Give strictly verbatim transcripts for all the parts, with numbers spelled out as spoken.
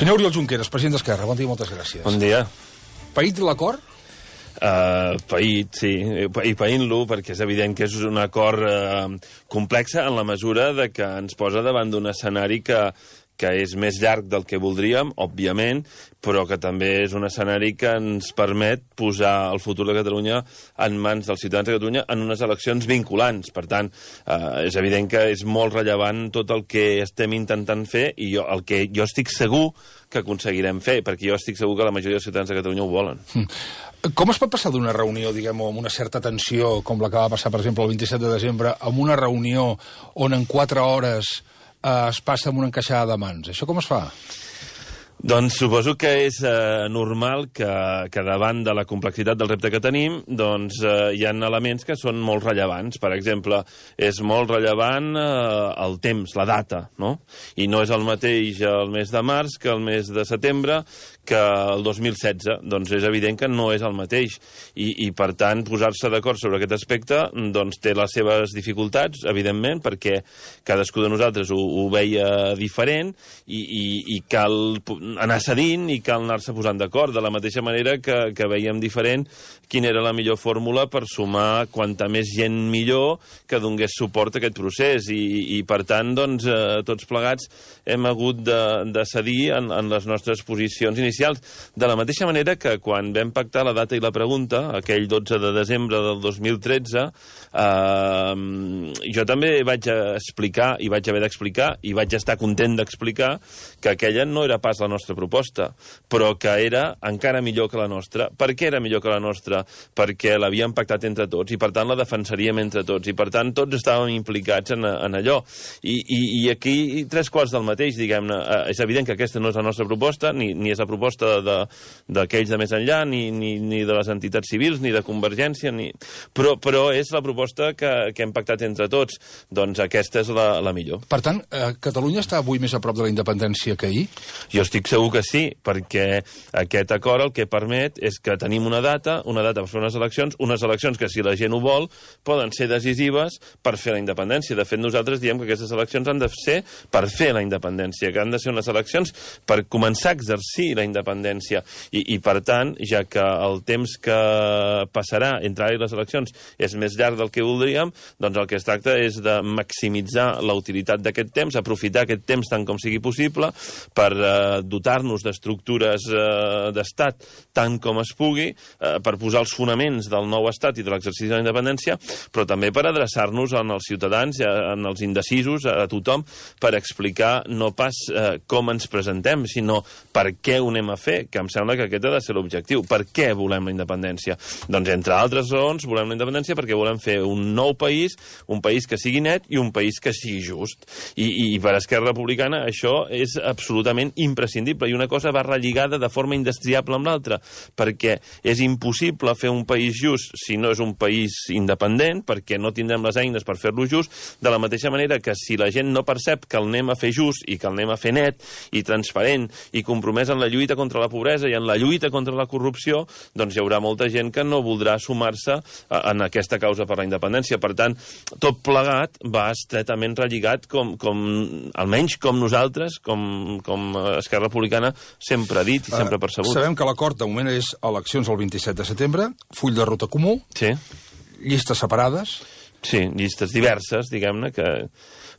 Senyor Oriol Junqueras, president d'Esquerra, bon dia i moltes gràcies. Bon dia. Paït l'acord? Uh, paït, sí, i païnt-lo, perquè és evident que és un acord uh, complex en la mesura de que ens posa davant d'un escenari que, que és més llarg del que voldríem, òbviament, però que també és un escenari que ens permet posar el futur de Catalunya en mans dels ciutadans de Catalunya en unes eleccions vinculants. Per tant, eh, és evident que és molt rellevant tot el que estem intentant fer i jo, el que jo estic segur que aconseguirem fer, perquè jo estic segur que la majoria dels ciutadans de Catalunya ho volen. Com es pot passar d'una reunió, diguem, amb una certa tensió, com la que va passar, per exemple, el vint-i-set de desembre, a una reunió on en quatre hores eh, es passa amb una encaixada de mans? Això com es fa? Doncs suposo que és eh, normal que, que davant de la complexitat del repte que tenim, doncs eh, hi ha elements que són molt rellevants. Per exemple, és molt rellevant eh, el temps, la data, no? I no és el mateix el mes de març que el mes de setembre que el dos mil setze. Doncs és evident que no és el mateix. I, i per tant, posar-se d'acord sobre aquest aspecte doncs té les seves dificultats, evidentment, perquè cadascú de nosaltres ho, ho veia diferent i, i, i cal anar cedint i cal anar-se posant d'acord, de la mateixa manera que, que veiem diferent quina era la millor fórmula per sumar quanta més gent millor que donés suport a aquest procés. I, i per tant, doncs, eh, tots plegats hem hagut de, de cedir en, en les nostres posicions inicials. De la mateixa manera que quan vam pactar la data i la pregunta, aquell dotze de desembre del dos mil tretze, eh, jo també vaig explicar, i vaig haver d'explicar, i vaig estar content d'explicar, que aquella no era pas la nostra proposta, però que era encara millor que la nostra. Per què era millor que la nostra? Perquè l'havíem pactat entre tots, i per tant la defensaríem entre tots, i per tant tots estàvem implicats en, en allò. I, i, i aquí tres quarts del mateix, diguem-ne. És evident que aquesta no és la nostra proposta, ni, ni és la proposta d'aquells de, de més enllà, ni, ni, ni de les entitats civils, ni de Convergència, ni... Però, però és la proposta que, que hem pactat entre tots. Doncs aquesta és la, la millor. Per tant, eh, Catalunya està avui més a prop de la independència que ahir? Jo estic segur que sí, perquè aquest acord el que permet és que tenim una data, una data per fer unes eleccions, unes eleccions que, si la gent ho vol, poden ser decisives per fer la independència. De fet, nosaltres diem que aquestes eleccions han de ser per fer la independència, que han de ser unes eleccions per començar a exercir la independència. I, i per tant, ja que el temps que passarà entre ara i les eleccions és més llarg del que voldríem, doncs el que es tracta és de maximitzar la utilitat d'aquest temps, aprofitar aquest temps tant com sigui possible per eh, dotar-nos d'estructures eh, d'estat tant com es pugui, eh, per posar els fonaments del nou estat i de l'exercici de la independència, però també per adreçar-nos als ciutadans, en els indecisos, a tothom, per explicar no pas eh, com ens presentem, sinó per què ho anem a fer, que em sembla que aquest ha de ser l'objectiu. Per què volem la independència? Doncs, entre altres raons, volem la independència perquè volem fer un nou país, un país que sigui net i un país que sigui just. I, i per Esquerra Republicana això és absolutament imprescindible, i una cosa va relligada de forma indestriable amb l'altra, perquè és impossible fer un país just si no és un país independent, perquè no tindrem les eines per fer-lo just, de la mateixa manera que si la gent no percep que el anem a fer just i que el anem a fer net i transparent i compromès en la lluita contra la pobresa i en la lluita contra la corrupció, doncs hi haurà molta gent que no voldrà sumar-se en aquesta causa per la independència. Per tant, tot plegat va estretament relligat, com, com almenys com nosaltres, com, com Esquerra Republicana, sempre ha dit i sempre ha percebut. Sabem que l'acord de moment és eleccions el vint-i-set de setembre, full de ruta comú, sí. Llistes separades. Sí, llistes diverses, diguem-ne, que...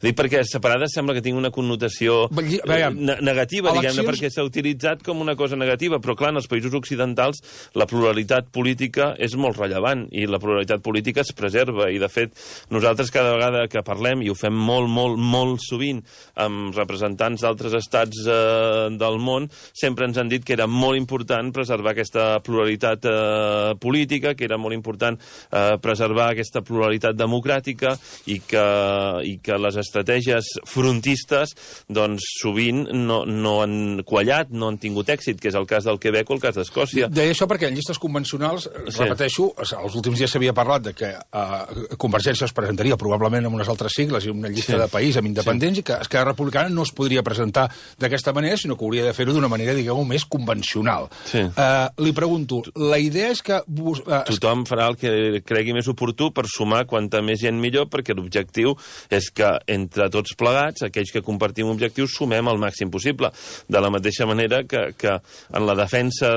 Dic perquè separades sembla que tingui una connotació eh, negativa, diguem-ne, perquè s'ha utilitzat com una cosa negativa, però clar, en els països occidentals la pluralitat política és molt rellevant i la pluralitat política es preserva, i de fet nosaltres cada vegada que parlem, i ho fem molt, molt, molt sovint amb representants d'altres estats eh, del món, sempre ens han dit que era molt important preservar aquesta pluralitat eh, política, que era molt important eh, preservar aquesta pluralitat democràtica, i que, i que les estratègies frontistes doncs sovint no, no han quallat, no han tingut èxit, que és el cas del Quebec o el cas d'Escòcia. Deia això perquè en llistes convencionals, sí. Repeteixo, els últims dies s'havia parlat de que uh, Convergència es presentaria probablement amb unes altres sigles i una llista sí. de país amb independents, sí. i que Esquerra Republicana no es podria presentar d'aquesta manera, sinó que hauria de fer-ho d'una manera, diguem-ho, més convencional. Sí. Uh, li pregunto, la idea és que... Uh, Tothom farà el que cregui més oportú per sumar quanta més gent millor, perquè l'objectiu és que entre tots plegats, aquells que compartim objectius, sumem el màxim possible. De la mateixa manera que, que en la defensa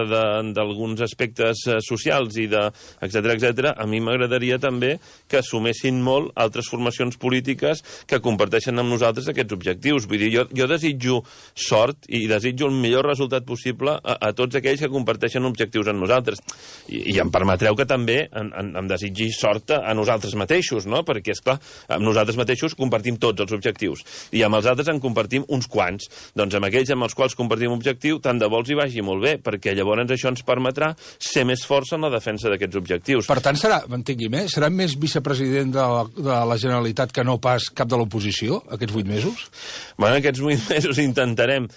d'alguns aspectes socials i de etcètera, etcètera, a mi m'agradaria també que sumessin molt altres formacions polítiques que comparteixen amb nosaltres aquests objectius. Vull dir, jo, jo desitjo sort i desitjo el millor resultat possible a, a tots aquells que comparteixen objectius amb nosaltres. I, i em permetreu que també em, em, em desitgi sort a nosaltres mateixos, no? Perquè, esclar, amb nosaltres mateixos compartim tots els objectius i amb els altres en compartim uns quants. Doncs amb aquells amb els quals compartim objectiu, tant de bo els hi vagi molt bé, perquè llavors això ens permetrà ser més forts en la defensa d'aquests objectius. Per tant, serà, m'entenguim, eh? serà més vicepresident de la, de la Generalitat que no pas cap de l'oposició, aquests vuit mesos? Bueno, aquests vuit mesos intentarem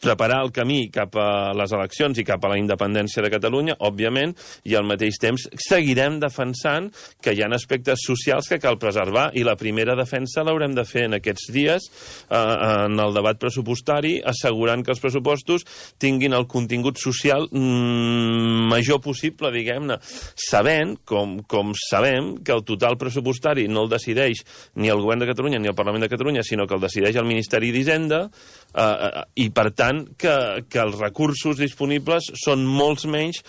preparar el camí cap a les eleccions i cap a la independència de Catalunya, òbviament, i al mateix temps seguirem defensant que hi ha aspectes socials que cal preservar, i la primera defensa l'haurem de fer en aquests dies eh, en el debat pressupostari, assegurant que els pressupostos tinguin el contingut social mm, major possible, diguem-ne, sabent, com, com sabem, que el total pressupostari no el decideix ni el Govern de Catalunya ni el Parlament de Catalunya, sinó que el decideix el Ministeri d'Hisenda, eh, i per tant Que, que els recursos disponibles són molts menys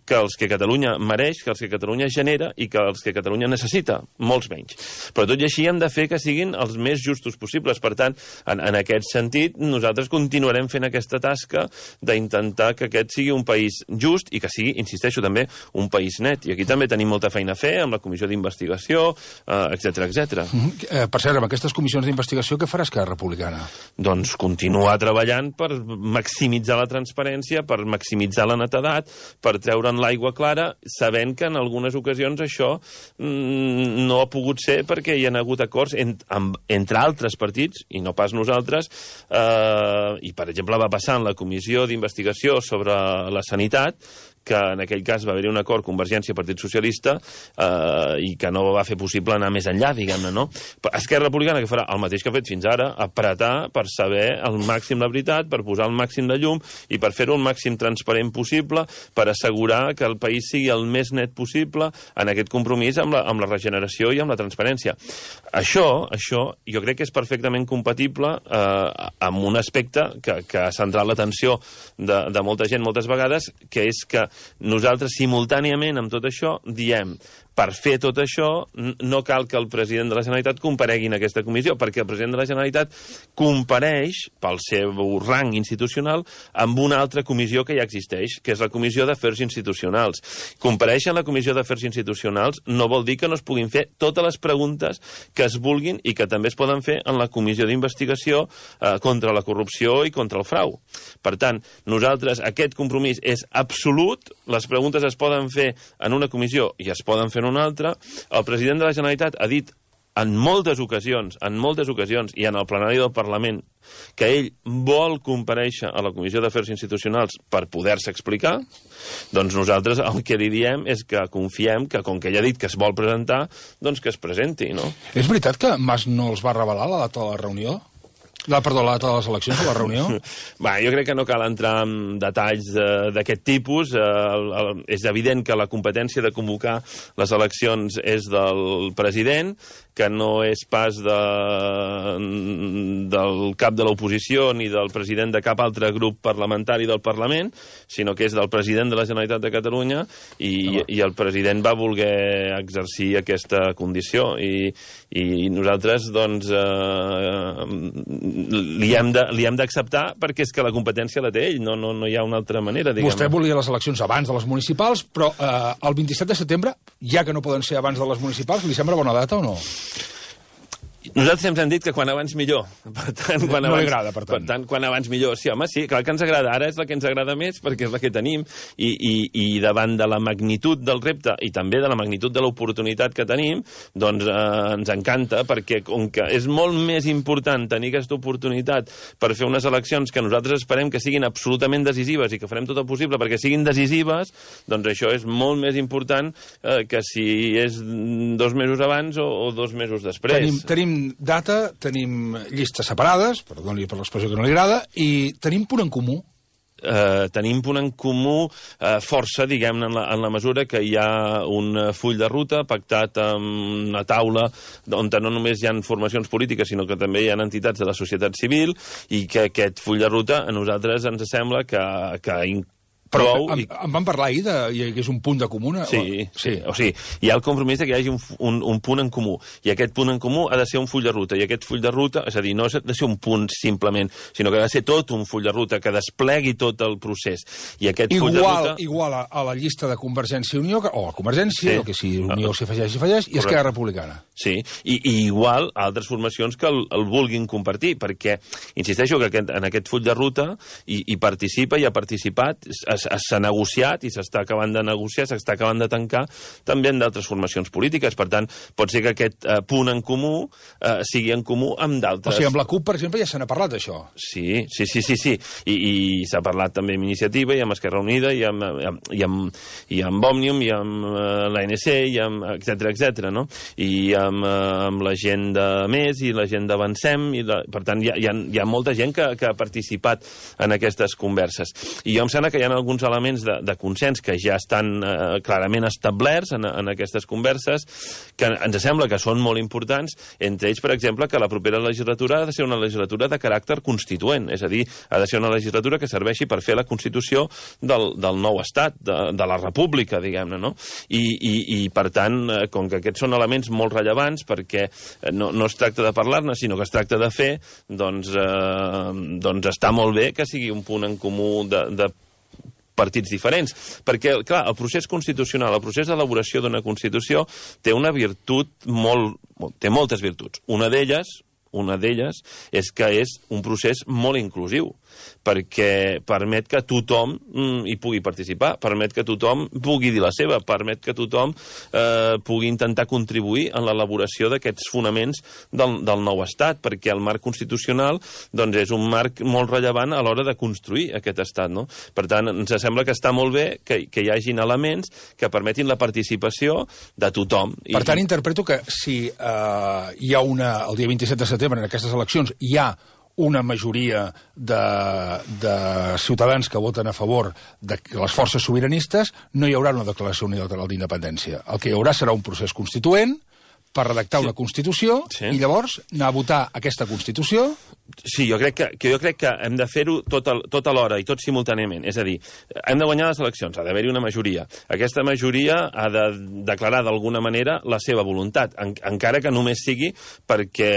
que els que Catalunya mereix, que els que Catalunya genera i que els que Catalunya necessita, molts menys. Però tot i així hem de fer que siguin els més justos possibles. Per tant, en, en aquest sentit, nosaltres continuarem fent aquesta tasca d'intentar que aquest sigui un país just i que sigui, insisteixo, també un país net. I aquí també tenim molta feina a fer amb la comissió d'investigació, eh, etcètera, etcètera. Mm-hmm. eh, per cert, amb aquestes comissions d'investigació, què farà Esquerra Republicana? Doncs continuar treballant per maximitzar la transparència, per maximitzar la netedat, per treure'n l'aigua clara, sabent que en algunes ocasions això mm, no ha pogut ser perquè hi ha hagut acords en, amb, entre altres partits, i no pas nosaltres, eh, i per exemple va passar en la comissió d'investigació sobre la sanitat, que en aquell cas va haver-hi un acord Convergència-Partit Socialista eh, i que no va fer possible anar més enllà, diguem-ne, no? Esquerra Republicana, que farà el mateix que ha fet fins ara, apretar per saber al màxim la veritat, per posar el màxim de llum i per fer-ho el màxim transparent possible, per assegurar que el país sigui el més net possible en aquest compromís amb la, amb la regeneració i amb la transparència. Això, això jo crec que és perfectament compatible eh, amb un aspecte que, que ha centrat l'atenció de, de molta gent moltes vegades, que és que nosaltres, simultàniament amb tot això, diem per fer tot això no cal que el president de la Generalitat comparegui en aquesta comissió, perquè el president de la Generalitat compareix, pel seu rang institucional, amb una altra comissió que ja existeix, que és la Comissió d'Afers Institucionals. Compareix en la Comissió d'Afers Institucionals no vol dir que no es puguin fer totes les preguntes que es vulguin i que també es poden fer en la Comissió d'Investigació eh, contra la corrupció i contra el frau. Per tant, nosaltres, aquest compromís és absolut, les preguntes es poden fer en una comissió i es poden fer en una altra. El president de la Generalitat ha dit en moltes ocasions, en moltes ocasions, i en el plenari del Parlament, que ell vol comparèixer a la Comissió d'Afers Institucionals per poder-se explicar, doncs nosaltres el que li diem és que confiem que, com que ell ha dit que es vol presentar, doncs que es presenti, no? És veritat que Mas no els va revelar la data de la reunió? La, perdó, la data de les eleccions, de la reunió? Va, jo crec que no cal entrar en detalls eh, d'aquest tipus. Eh, el, el, és evident que la competència de convocar les eleccions és del president, que no és pas de, del cap de l'oposició ni del president de cap altre grup parlamentari del Parlament, sinó que és del president de la Generalitat de Catalunya, i, i el president va voler exercir aquesta condició. I, i nosaltres, doncs, eh, li hem de, li hem d'acceptar perquè és que la competència la té ell, no, no, no hi ha una altra manera, diguem. Vostè volia les eleccions abans de les municipals, però eh, el vint-i-set de setembre, ja que no poden ser abans de les municipals, li sembla bona data o no? Nosaltres ens hem dit que quan abans millor. Per tant, quan no abans, li agrada, per tant. Per tant, quan abans millor. Sí, home, sí, clar que ens agrada. Ara és la que ens agrada més, perquè és la que tenim. I, i, i davant de la magnitud del repte i també de la magnitud de l'oportunitat que tenim, doncs eh, ens encanta, perquè com que és molt més important tenir aquesta oportunitat per fer unes eleccions que nosaltres esperem que siguin absolutament decisives i que farem tot el possible perquè siguin decisives, doncs això és molt més important eh, que si és dos mesos abans o, o dos mesos després. Tenim, tenim data, tenim llistes separades, perdoni per l'expressió que no li agrada, i tenim punt en comú. eh, tenim punt en comú eh, força, diguem-ne, en, la, en la mesura que hi ha un full de ruta pactat amb una taula on no només hi ha formacions polítiques, sinó que també hi ha entitats de la societat civil, i que aquest full de ruta a nosaltres ens sembla que, que Però prou... em, em van parlar ahir de que és un punt de comuna? Sí, o... sí, o sigui, hi ha el compromís de que hi hagi un, un, un punt en comú, i aquest punt en comú ha de ser un full de ruta, i aquest full de ruta, és a dir, no ha de ser un punt simplement, sinó que ha de ser tot un full de ruta que desplegui tot el procés. I aquest igual, full de ruta... Igual a, a la llista de Convergència i Unió, o a Convergència, sí. o que si Unió s'hi afegeix, s'hi afegeix, i Esquerra Republicana. Sí, I, i igual a altres formacions que el, el vulguin compartir, perquè, insisteixo, que aquest, en aquest full de ruta hi, hi participa, hi ha participat, s'ha negociat, i s'està acabant de negociar, s'està acabant de tancar també en d'altres formacions polítiques. Per tant, pot ser que aquest eh, punt en comú eh, sigui en comú amb d'altres. O sigui, amb la CUP, per exemple, ja se n'ha parlat d'això. Sí, sí, sí, sí, sí. I, i s'ha parlat també amb Iniciativa, i amb Esquerra Unida, i amb, i amb, i amb Òmnium, i amb uh, l'A N C, i amb etcètera, etcètera, no? I amb, uh, amb la gent de Més, i la gent d'Avancem, i la... per tant, hi ha, hi, ha, hi ha molta gent que, que ha participat en aquestes converses. I jo em sembla que hi ha alguns elements de, de consens que ja estan eh, clarament establerts en, en aquestes converses, que ens sembla que són molt importants, entre ells, per exemple, que la propera legislatura ha de ser una legislatura de caràcter constituent, és a dir, ha de ser una legislatura que serveixi per fer la Constitució del, del nou estat, de, de la república, diguem-ne, no? I, i, i, per tant, eh, com que aquests són elements molt rellevants, perquè no, no es tracta de parlar-ne, sinó que es tracta de fer, doncs, eh, doncs està molt bé que sigui un punt en comú de, de partits diferents, perquè, clar, el procés constitucional, el procés d'elaboració d'una Constitució té una virtut molt... té moltes virtuts. Una d'elles, una d'elles és que és un procés molt inclusiu, perquè permet que tothom mm, hi pugui participar, permet que tothom pugui dir la seva, permet que tothom eh, pugui intentar contribuir en l'elaboració d'aquests fonaments del, del nou estat, perquè el marc constitucional doncs, és un marc molt rellevant a l'hora de construir aquest estat, no? Per tant, ens sembla que està molt bé que, que hi hagin elements que permetin la participació de tothom. Per tant, I... interpreto que si eh, hi ha una, el dia vint-i-set de setembre, en aquestes eleccions, hi ha una majoria de, de ciutadans que voten a favor de les forces sobiranistes, no hi haurà una declaració unilateral d'independència. El que hi haurà serà un procés constituent per redactar sí. una Constitució sí. i llavors anar a votar aquesta Constitució. Sí, jo crec que, que, jo crec que hem de fer-ho tot, el, tot alhora i tot simultàniament. És a dir, hem de guanyar les eleccions, ha d'haver-hi una majoria. Aquesta majoria ha de declarar d'alguna manera la seva voluntat, en, encara que només sigui perquè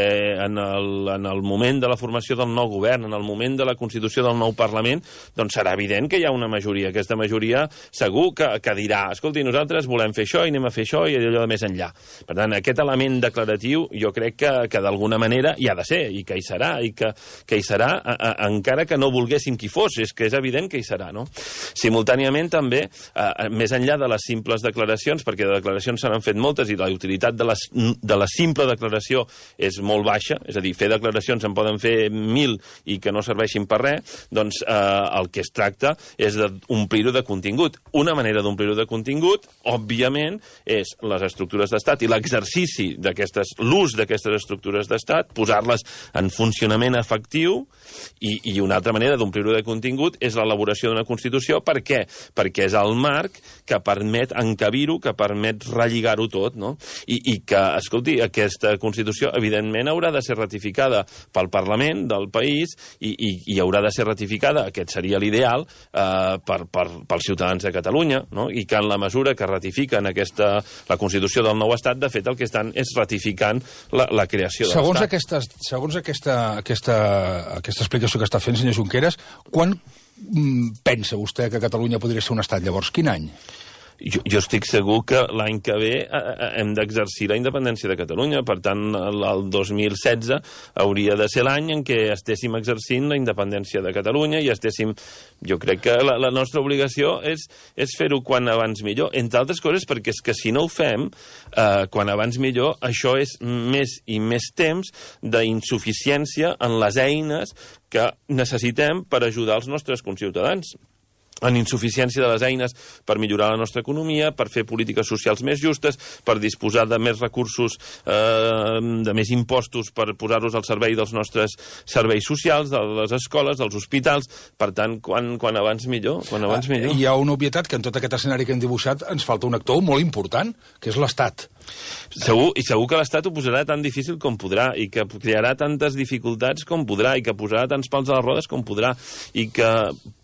en el, en el moment de la formació del nou govern, en el moment de la constitució del nou Parlament, doncs serà evident que hi ha una majoria. Aquesta majoria segur que, que dirà, escolti, nosaltres volem fer això i anem a fer això i allò de més enllà. Per tant, aquest element declaratiu jo crec que, que d'alguna manera hi ha de ser i que hi serà i que, que hi serà a, a, encara que no volguéssim qui fos, és que és evident que hi serà, no? Simultàniament també, a, més enllà de les simples declaracions, perquè de declaracions se n'han fet moltes i la utilitat de, les, de la simple declaració és molt baixa, és a dir, fer declaracions en poden fer mil i que no serveixin per res, doncs eh, el que es tracta és d'omplir-ho de contingut. Una manera d'omplir-ho de contingut, òbviament, és les estructures d'estat i l'exercici d'aquestes, l'ús d'aquestes estructures d'estat, posar-les en funcionament efectiu, i, i una altra manera d'omplir-ho de contingut és l'elaboració d'una Constitució. Per què? Perquè és el marc que permet encabir-ho, que permet relligar-ho tot, no? I, i que, escolti, aquesta Constitució evidentment haurà de ser ratificada pel Parlament del país i, i, i haurà de ser ratificada, aquest seria l'ideal, eh, per, per, pels ciutadans de Catalunya, no? I que en la mesura que ratifiquen aquesta, la Constitució del nou Estat, de fet el que estan és ratificant la, la creació de segons l'Estat. Aquesta, segons aquesta, aquesta, aquesta explicació que està fent, senyor Junqueras, quan mm, pensa vostè que Catalunya podria ser un estat llavors? Quin any? Jo, jo estic segur que l'any que ve eh, hem d'exercir la independència de Catalunya. Per tant, el, el dos mil setze hauria de ser l'any en què estéssim exercint la independència de Catalunya i estéssim... Jo crec que la, la nostra obligació és, és fer-ho quan abans millor. Entre altres coses, perquè és que si no ho fem, eh, quan abans millor, això és més i més temps d'insuficiència en les eines que necessitem per ajudar els nostres conciutadans. en insuficiència de les eines per millorar la nostra economia, per fer polítiques socials més justes, per disposar de més recursos, eh, de més impostos per posar-los al servei dels nostres serveis socials, de les escoles, dels hospitals. Per tant, quan, quan abans millor, quan abans millor. Hi ha una obvietat que en tot aquest escenari que hem dibuixat ens falta un actor molt important, que és l'Estat. Segur, i segur que l'Estat ho posarà tan difícil com podrà, i que crearà tantes dificultats com podrà, i que posarà tants pals a les rodes com podrà, i que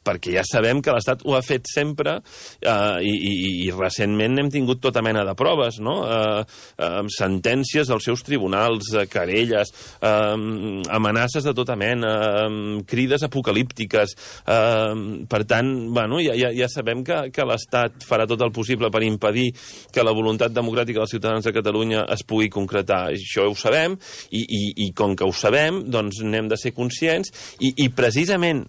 perquè ja sabem que l'Estat ho ha fet sempre eh, i, i, i recentment hem tingut tota mena de proves, no? Eh, eh, sentències als seus tribunals, eh, querelles, eh, amenaces de tota mena, eh, crides apocalíptiques. Eh, per tant, bueno, ja, ja, ja sabem que, que l'Estat farà tot el possible per impedir que la voluntat democràtica dels ciutadans de Catalunya es pugui concretar. Això ho sabem, i, i, i com que ho sabem, doncs n'hem de ser conscients, i, i precisament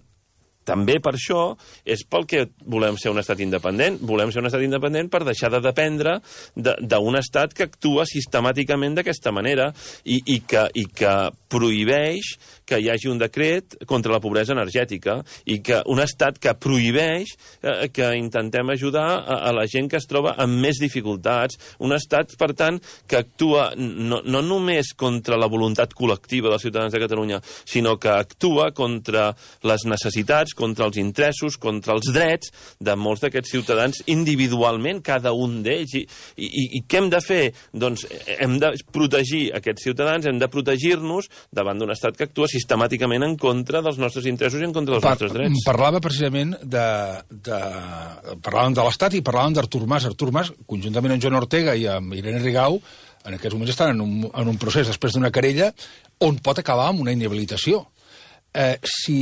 també per això és pel que volem ser un estat independent. Volem ser un estat independent per deixar de dependre d'un estat que actua sistemàticament d'aquesta manera i, i, que, i que prohibeix que hi hagi un decret contra la pobresa energètica, i que un estat que prohibeix eh, que intentem ajudar a, a la gent que es troba amb més dificultats. Un estat, per tant, que actua no, no només contra la voluntat col·lectiva dels ciutadans de Catalunya, sinó que actua contra les necessitats, contra els interessos, contra els drets de molts d'aquests ciutadans individualment, cada un d'ells. I, i, I què hem de fer? Doncs hem de protegir aquests ciutadans, hem de protegir-nos davant d'un estat que actua sistemàticament en contra dels nostres interessos i en contra dels Par nostres drets. Parlava precisament de... de parlàvem de l'Estat i parlàvem d'Artur Mas. Artur Mas, conjuntament amb Joan Ortega i amb Irene Rigau, en aquests moments estan en un, en un procés després d'una querella on pot acabar amb una inhabilitació. Eh, si...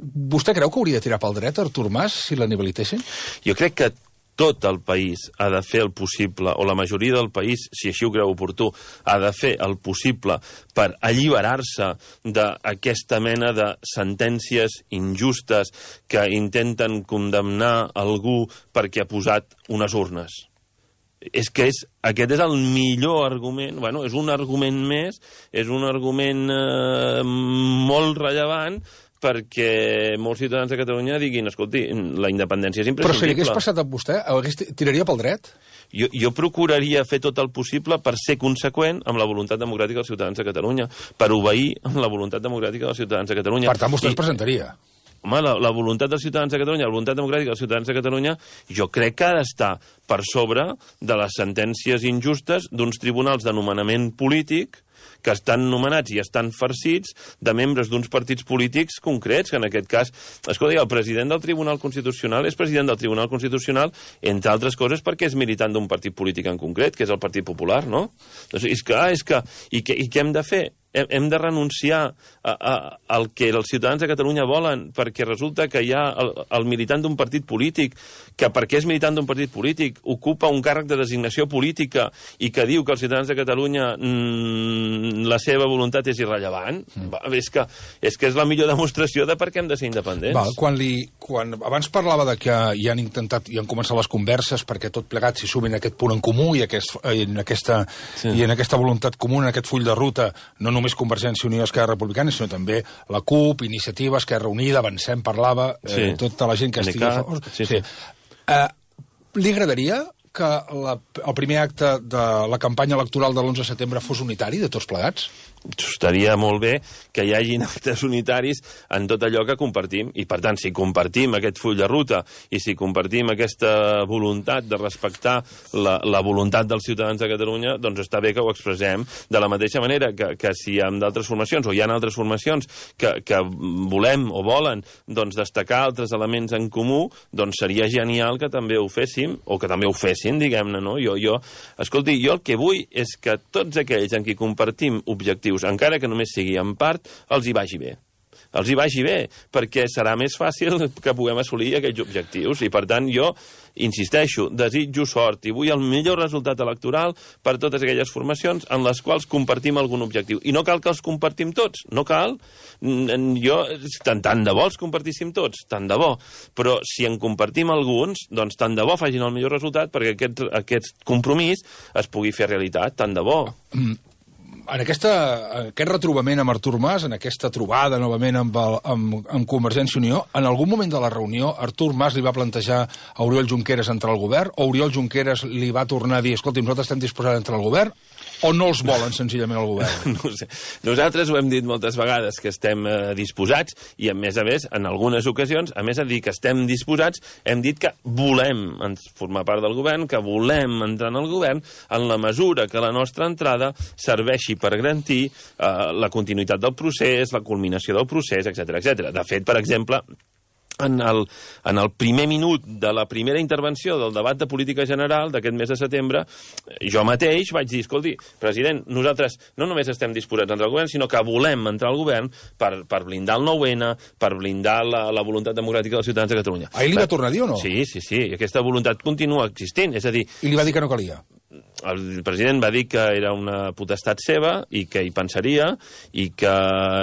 Vostè creu que hauria de tirar pel dret Artur Mas si l'inhabilitessin? Jo crec que tot el país ha de fer el possible, o la majoria del país, si així ho creu oportú, ha de fer el possible per alliberar-se d'aquesta mena de sentències injustes que intenten condemnar algú perquè ha posat unes urnes. És que és, aquest és el millor argument, bueno, és un argument més, és un argument eh, molt rellevant perquè molts ciutadans de Catalunya diguin, escolti, la independència és imprescindible. Però si hagués passat amb vostè, hagués, tiraria pel dret? Jo, jo procuraria fer tot el possible per ser conseqüent amb la voluntat democràtica dels ciutadans de Catalunya, per obeir amb la voluntat democràtica dels ciutadans de Catalunya. Per tant, vostè es presentaria? Home, la, la voluntat dels ciutadans de Catalunya, la voluntat democràtica dels ciutadans de Catalunya, jo crec que ha d'estar per sobre de les sentències injustes d'uns tribunals de nomenament polític que estan nomenats i estan farcits de membres d'uns partits polítics concrets, que en aquest cas, escolta, el president del Tribunal Constitucional és president del Tribunal Constitucional, entre altres coses perquè és militant d'un partit polític en concret, que és el Partit Popular, no? Doncs és que, és que, i, que, i què hem de fer? Hem de renunciar a, a, al que els ciutadans de Catalunya volen, perquè resulta que hi ha el, el militant d'un partit polític, que perquè és militant d'un partit polític ocupa un càrrec de designació política i que diu que els ciutadans de Catalunya mmm, la seva voluntat és irrellevant. Mm. Va, és, que, és que és la millor demostració de per què hem de ser independents. Val, quan li, quan abans parlava de que hi han intentat i han començat les converses perquè tot plegat s'hi sumin aquest punt en comú i, aquest, en aquesta, sí. i en aquesta voluntat comuna, en aquest full de ruta, no només només Convergència i Unió, Esquerra Republicana, sinó també la CUP, Iniciativa, Esquerra Unida, Avancem, parlava, eh, sí. tota la gent que estigui a favor. Sí, sí. Sí. Eh, li agradaria que la, el primer acte de la campanya electoral de l'onze de setembre fos unitari, de tots plegats? Estaria molt bé que hi hagin actes unitaris en tot allò que compartim, i per tant, si compartim aquest full de ruta i si compartim aquesta voluntat de respectar la, la voluntat dels ciutadans de Catalunya, doncs està bé que ho expressem de la mateixa manera que, que si hi ha d'altres formacions o hi ha altres formacions que, que volem o volen doncs, destacar altres elements en comú, doncs seria genial que també ho féssim, o que també ho fessin, diguem-ne, no? Jo, jo, escolti, jo el que vull és que tots aquells en qui compartim objectius, encara que només sigui en part, els hi vagi bé. Els hi vagi bé, perquè serà més fàcil que puguem assolir aquells objectius. I, per tant, jo insisteixo, desitjo sort i vull el millor resultat electoral per totes aquelles formacions en les quals compartim algun objectiu. I no cal que els compartim tots, no cal. Jo, tant, tant de bo els compartíssim tots, tant de bo. Però si en compartim alguns, doncs tant de bo facin el millor resultat perquè aquest, aquest compromís es pugui fer realitat, tant de bo. Mm. en aquesta, aquest retrobament amb Artur Mas, en aquesta trobada novament amb, el, amb, amb Convergència i Unió, en algun moment de la reunió Artur Mas li va plantejar a Oriol Junqueras entrar al govern, o Oriol Junqueras li va tornar a dir, escolti, nosaltres estem disposats a entrar al govern, o no els volen senzillament al govern? No sé. Nosaltres ho hem dit moltes vegades, que estem eh, disposats, i a més a més, en algunes ocasions, a més de dir que estem disposats, hem dit que volem formar part del govern, que volem entrar en el govern, en la mesura que la nostra entrada serveixi per garantir eh, la continuïtat del procés, la culminació del procés, etcètera, etcètera. De fet, per exemple, En el, en el primer minut de la primera intervenció del debat de política general d'aquest mes de setembre, jo mateix vaig dir, escolti, president, nosaltres no només estem disposats a entrar al govern, sinó que volem entrar al govern per, per blindar el nou ene, per blindar la, la voluntat democràtica dels ciutadans de Catalunya. Ahir li va tornar a dir o no? Sí, sí, sí, i aquesta voluntat continua existint, és a dir... I li va dir que no calia? El president va dir que era una potestat seva i que hi pensaria i que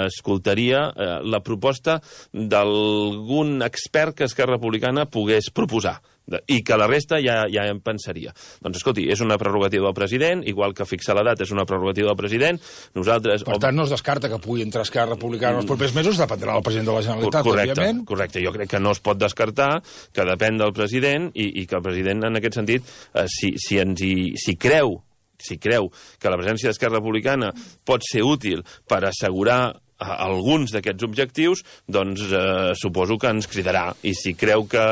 escoltaria eh, la proposta d'algun expert que Esquerra Republicana pogués proposar i que la resta ja, ja en pensaria. Doncs, escolti, és una prerrogativa del president, igual que fixar la data és una prerrogativa del president. Nosaltres... Per tant, no es descarta que pugui entrar Esquerra Republicana en els propers mesos, dependrà del president de la Generalitat, correcte, òbviament. Correcte, jo crec que no es pot descartar, que depèn del president, i, i que el president, en aquest sentit, eh, si, si, ens hi, si creu si creu que la presència d'Esquerra Republicana pot ser útil per assegurar alguns d'aquests objectius, doncs eh, suposo que ens cridarà. I si creu que,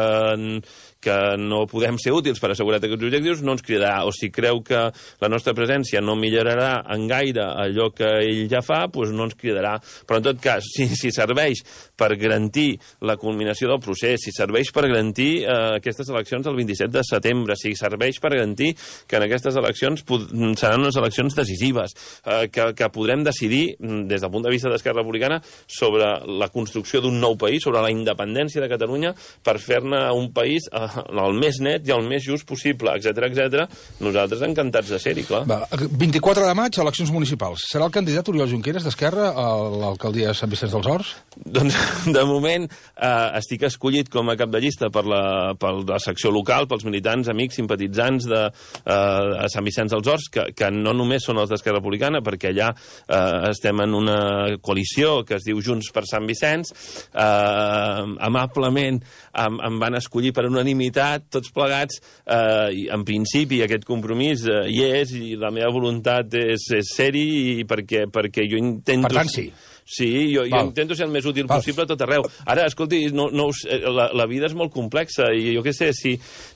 que no podem ser útils per assegurar aquests objectius, no ens cridarà. O si creu que la nostra presència no millorarà en gaire allò que ell ja fa, doncs no ens cridarà. Però en tot cas, si, si serveix per garantir la culminació del procés, si serveix per garantir eh, aquestes eleccions del vint-i-set de setembre, si serveix per garantir que en aquestes eleccions seran unes eleccions decisives, eh, que, que podrem decidir, des del punt de vista d'Esquerra Republicana, sobre la construcció d'un nou país, sobre la independència de Catalunya, per fer-ne un país eh, el més net i el més just possible, etcètera, etcètera. Nosaltres encantats de ser-hi, clar. Va, vint-i-quatre de maig, eleccions municipals. Serà el candidat Oriol Junqueras d'Esquerra a l'alcaldia de Sant Vicenç dels Horts? Doncs, de moment, eh, estic escollit com a cap de llista per la, per la secció local, pels militants, amics, simpatitzants de eh, Sant Vicenç dels Horts, que, que no només són els d'Esquerra Republicana, perquè allà eh, estem en una coalició que es diu Junts per Sant Vicenç. Eh, amablement em, em van escollir per unanimitat, tots plegats. Eh, en principi, aquest compromís eh, hi és, i la meva voluntat és, és ser-hi, perquè, perquè jo intento... Per tant, sí. Sí, jo, jo intento ser el més útil Val. possible a tot arreu. Ara, escolti, no, no, la, la vida és molt complexa, i jo què sé, si,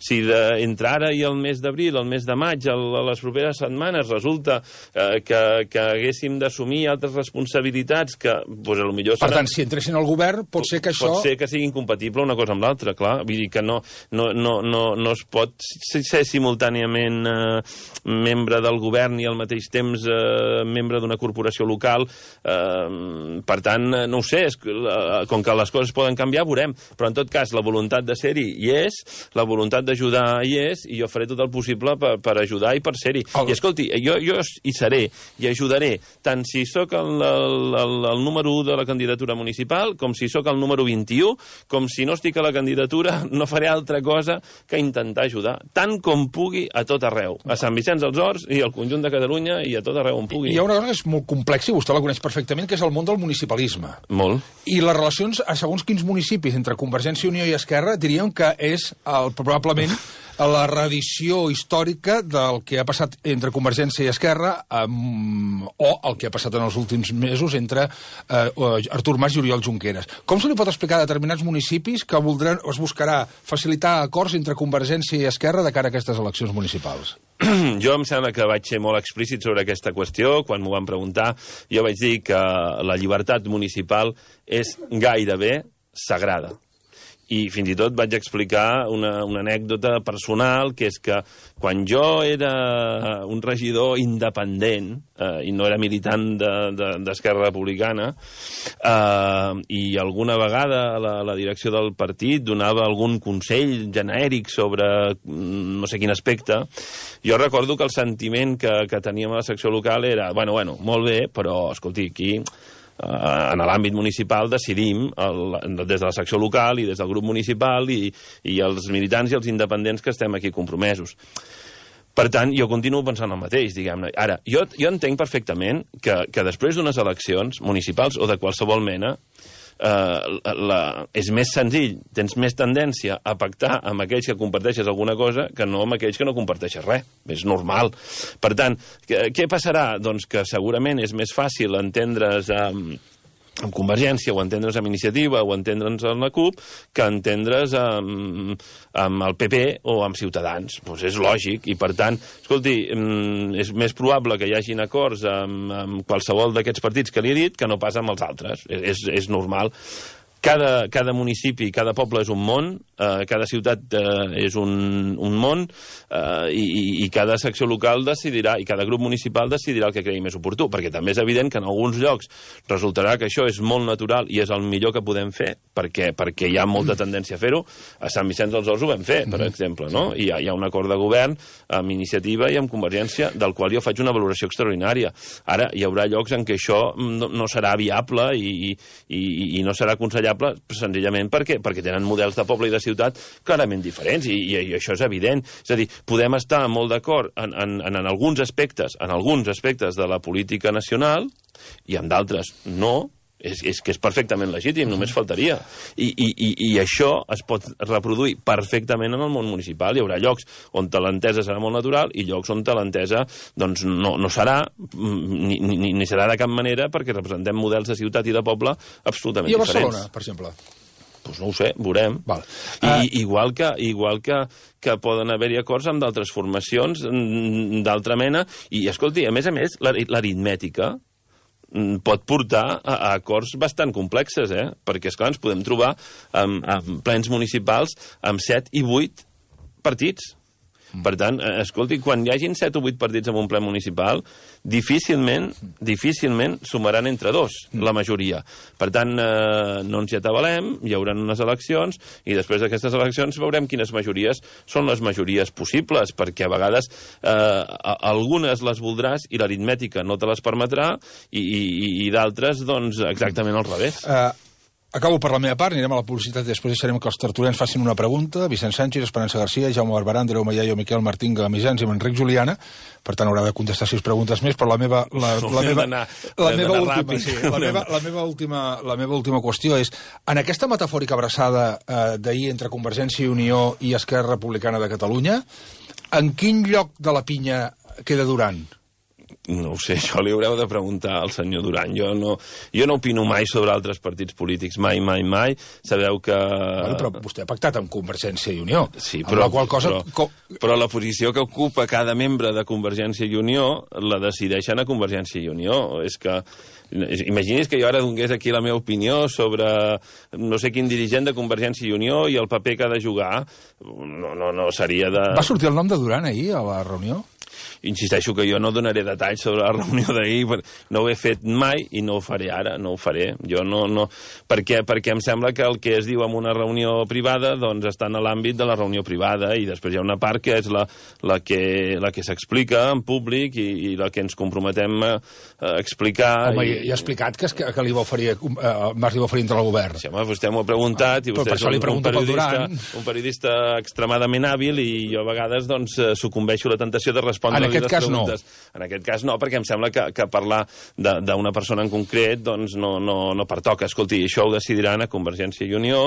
si de, entre ara i el mes d'abril, el mes de maig, el, a les properes setmanes, resulta eh, que, que haguéssim d'assumir altres responsabilitats que, doncs, potser serà... Per tant, si entressin al govern, pot ser que això... Pot ser que sigui incompatible una cosa amb l'altra, clar. Vull dir que no, no, no, no, no es pot ser simultàniament eh, membre del govern i al mateix temps eh, membre d'una corporació local. Eh, Per tant, no ho sé, és, com que les coses poden canviar, veurem. Però, en tot cas, la voluntat de ser-hi hi és, la voluntat d'ajudar hi és, i jo faré tot el possible per, per ajudar i per ser-hi. El... I, escolti, jo, jo hi seré i ajudaré, tant si sóc el, el, el, el número u de la candidatura municipal, com si sóc el número vint-i-u, com si no estic a la candidatura, no faré altra cosa que intentar ajudar, tant com pugui, a tot arreu. A Sant Vicenç dels Horts i al conjunt de Catalunya i a tot arreu on pugui. Hi ha una cosa que és molt complexa, i vostè la coneix perfectament, que és el món del municipalisme. Molt. I les relacions a segons quins municipis entre Convergència i Unió i Esquerra diríem que és el, probablement la reedició històrica del que ha passat entre Convergència i Esquerra um, o el que ha passat en els últims mesos entre uh, Artur Mas i Oriol Junqueras. Com se li pot explicar a determinats municipis que voldran, es buscarà facilitar acords entre Convergència i Esquerra de cara a aquestes eleccions municipals? Jo em sembla que vaig ser molt explícit sobre aquesta qüestió. Quan m'ho van preguntar, jo vaig dir que la llibertat municipal és gairebé sagrada. I fins i tot vaig explicar una, una anècdota personal, que és que quan jo era un regidor independent, eh, i no era militant d'Esquerra de, de, Republicana, eh, i alguna vegada la, la direcció del partit donava algun consell genèric sobre no sé quin aspecte, jo recordo que el sentiment que, que teníem a la secció local era, bueno, bueno, molt bé, però, escolti, aquí... en l'àmbit municipal decidim el, des de la secció local i des del grup municipal i, i els militants i els independents que estem aquí compromesos. Per tant, jo continuo pensant el mateix, diguem-ne. Ara, jo, jo entenc perfectament que, que després d'unes eleccions municipals o de qualsevol mena, Uh, la, és més senzill, tens més tendència a pactar amb aquells que comparteixes alguna cosa que no amb aquells que no comparteixes res. És normal. Per tant, què, què passarà? Doncs que segurament és més fàcil entendre's amb, amb Convergència, o entendre's amb Iniciativa, o entendre's amb la CUP, que entendre's amb, amb el P P o amb Ciutadans. Pues és lògic, i per tant, escolti, és més probable que hi hagin acords amb, amb qualsevol d'aquests partits que li he dit que no pas amb els altres. És, és normal. Cada, cada municipi, cada poble és un món, eh, cada ciutat eh, és un, un món, eh, i, i cada secció local decidirà, i cada grup municipal decidirà el que cregui més oportú, perquè també és evident que en alguns llocs resultarà que això és molt natural i és el millor que podem fer, perquè, perquè hi ha molta tendència a fer-ho. A Sant Vicenç dels Horts ho vam fer, per exemple, no? I hi ha, hi ha un acord de govern amb Iniciativa i amb Convergència, del qual jo faig una valoració extraordinària. Ara, hi haurà llocs en què això no, no serà viable i, i, i no serà aconsellable, senzillament perquè, perquè tenen models de poble i de ciutat clarament diferents, i, i, i això és evident. És a dir, podem estar molt d'acord en, en, en, en alguns aspectes, en alguns aspectes de la política nacional, i en d'altres no. És, és que és perfectament legítim, només faltaria. I, i, i, i això es pot reproduir perfectament en el món municipal. Hi haurà llocs on l'entesa serà molt natural i llocs on l'entesa doncs, no, no serà, ni, ni, ni serà de cap manera, perquè representem models de ciutat i de poble absolutament diferents. I a Barcelona, diferents. Per exemple? Doncs no ho sé, veurem. Val. I, uh... igual que, igual que, que poden haver-hi acords amb d'altres formacions d'altra mena. I, escolti, a més a més, l'aritmètica pot portar a, a acords bastant complexes, eh? Perquè, esclar, ens podem trobar amb, amb plens municipals amb set i vuit partits. Per tant, escolti, quan hi hagin set o vuit partits en un ple municipal, difícilment, difícilment sumaran entre dos, la majoria. Per tant, eh, no ens hi atabalem, hi haurà unes eleccions, i després d'aquestes eleccions veurem quines majories són les majories possibles, perquè a vegades eh, algunes les voldràs i l'aritmètica no te les permetrà, i, i, i d'altres, doncs, exactament al revés. Uh... Acabo per la meva part, anirem a la publicitat i després deixarem que els tertulians facin una pregunta. Vicent Sánchez, Esperança García, Jaume Barberà, Andreu Mallaio, Miquel Martín, Gamisans i Enric Juliana. Per tant, haurà de contestar sis preguntes més, però la meva... La, la meva, la meva última, sí, la meva, la meva última, la meva última qüestió és, en aquesta metafòrica abraçada eh, d'ahir entre Convergència i Unió i Esquerra Republicana de Catalunya, en quin lloc de la pinya queda Duran? No ho sé, això li haureu de preguntar al senyor Duran. Jo no, jo no opino mai sobre altres partits polítics, mai, mai, mai. Sabeu que... Bueno, però vostè ha pactat amb Convergència i Unió. Sí, però, la qual cosa... però, però la posició que ocupa cada membre de Convergència i Unió la decideixen a Convergència i Unió. És que... Imagini's que jo ara donés aquí la meva opinió sobre no sé quin dirigent de Convergència i Unió i el paper que ha de jugar. No, no, no seria de... Va sortir el nom de Duran ahir a la reunió? Insisteixo que jo no donaré detalls sobre la reunió d'ahir, no ho he fet mai i no ho faré ara, no ho faré. Jo no, no... Perquè, perquè em sembla que el que es diu en una reunió privada doncs està en l'àmbit de la reunió privada, i després hi ha una part que és la, la que, la que s'explica en públic i, i la que ens comprometem a, a explicar. Home, i, i ha explicat que, que, que li va oferir, eh, Mas li va oferir entre el govern. Sí, home, vostè m'ho ha preguntat, i vostè és un, un, periodista, un periodista extremadament hàbil, i jo a vegades doncs sucumbeixo a la tentació de respondre. En aquest cas no. En aquest cas no, perquè em sembla que, que parlar d'una persona en concret doncs no, no, no pertoca. Escolti, això ho decidiran a Convergència i Unió,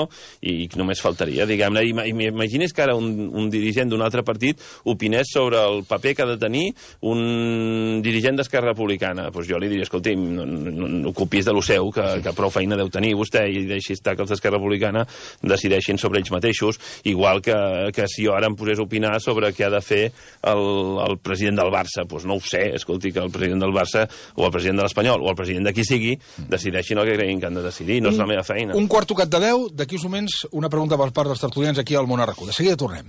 i només faltaria, diguem-ne. Imagini's que ara un, un dirigent d'un altre partit opinés sobre el paper que ha de tenir un dirigent d'Esquerra Republicana. Pues jo li diria, escolti, no, no, no ocupis de lo seu, que, que prou feina deu tenir vostè, i deixi estar que els d'Esquerra Republicana decideixin sobre ells mateixos, igual que, que si jo ara em posés a opinar sobre què ha de fer el, el president del Barça, doncs no ho sé, escolti, que el president del Barça o el president de l'Espanyol o el president de qui sigui decideixin el que creguin que han de decidir, no és la meva feina. Un quart tocat de deu, d'aquí uns moments una pregunta per part dels tertulians aquí al Món a RAC u. De seguida tornem.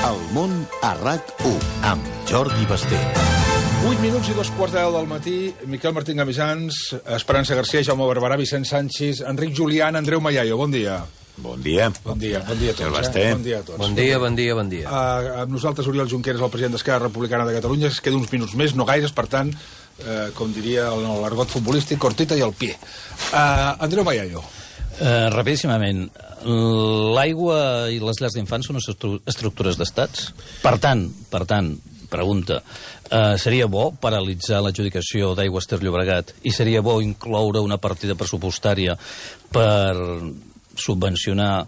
El Món a RAC u, amb Jordi Basté. vuit minuts i dos quarts de deu del matí, Miquel Martín Gamisans, Esperança García, Jaume Barberà, Vicent Sánchez, Enric Julián, Andreu Mallaio. Bon dia. Bon dia. Bon dia, bon dia a tots. Eh? Bon dia a tots. Bon dia, bon dia, bon dia. Uh, amb nosaltres, Oriol Junqueras, el president d'Esquerra Republicana de Catalunya, es queda uns minuts més, no gaires, per tant, uh, com diria el l'argot futbolístic, cortita i al pie. Uh, Andreu Mallaio. Uh, rapidíssimament, l'aigua i les llars d'infants són estructures d'estats? Per tant, per tant, pregunta, uh, seria bo paralitzar l'adjudicació d'Aigües Ter Llobregat i seria bo incloure una partida pressupostària per subvencionar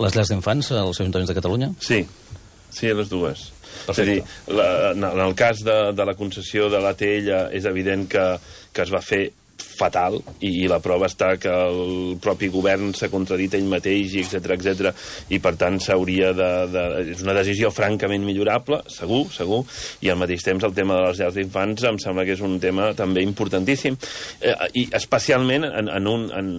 les llars d'infants als Ajuntaments de Catalunya? Sí, sí, les dues. Perfecte. És a dir, la, en el cas de, de la concessió de l'A T L és evident que, que es va fer fatal, i, i la prova està que el propi govern s'ha contradit ell mateix, i etcètera, etcètera, i per tant s'hauria de, de... És una decisió francament millorable, segur, segur, i al mateix temps el tema de les llars d'infants em sembla que és un tema també importantíssim, eh, i especialment en, en un... En,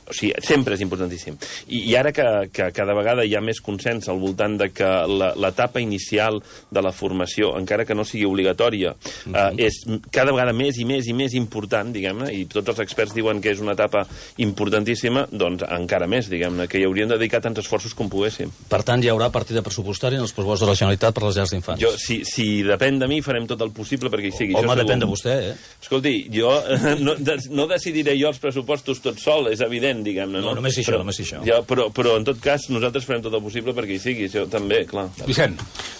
o sigui, sempre és importantíssim. I, i ara que, que cada vegada hi ha més consens al voltant de que l'etapa inicial de la formació, encara que no sigui obligatòria, uh -huh. eh, és cada vegada més i més i més important, diguem-ne, i tots els experts diuen que és una etapa importantíssima, doncs encara més, diguem-ne, que hi hauríem de dedicar tants esforços com poguéssim. Per tant, hi haurà partida pressupostària en els pressupostos de la Generalitat per les llars d'infants? Jo, si, si depèn de mi, farem tot el possible perquè hi sigui. Home, Això depèn de vostè, eh? Escolti, jo no, no decidiré jo els pressupostos tot sol, és evident, diguem-ne, no? No, només això, però, només això. Ja, però, però, en tot cas, nosaltres farem tot el possible perquè hi sigui, això també, clar. Vicent.